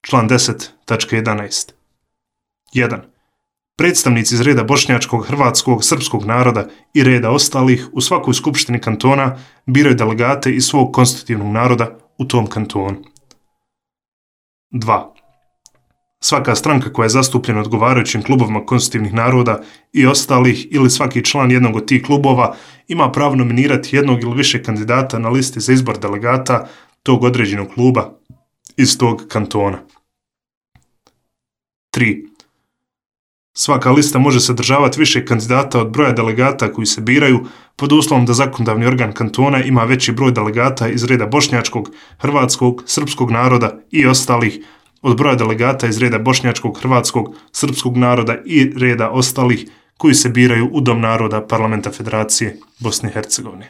Član 10.11. 1. Predstavnici iz reda bošnjačkog, hrvatskog, srpskog naroda i reda ostalih u svakoj skupštini kantona biraju delegate iz svog konstitutivnog naroda u tom kantonu. 2. Svaka stranka koja je zastupljena odgovarajućim klubovima konstitutivnih naroda i ostalih ili svaki član jednog od tih klubova ima pravo nominirati jednog ili više kandidata na listi za izbor delegata tog određenog kluba iz tog kantona. 3. Svaka lista može sadržavati više kandidata od broja delegata koji se biraju pod uslovom da zakonodavni organ kantona ima veći broj delegata iz reda bošnjačkog, hrvatskog, srpskog naroda i ostalih od broja delegata iz reda bošnjačkog, hrvatskog, srpskog naroda i reda ostalih koji se biraju u Dom naroda Parlamenta Federacije Bosne i Hercegovine.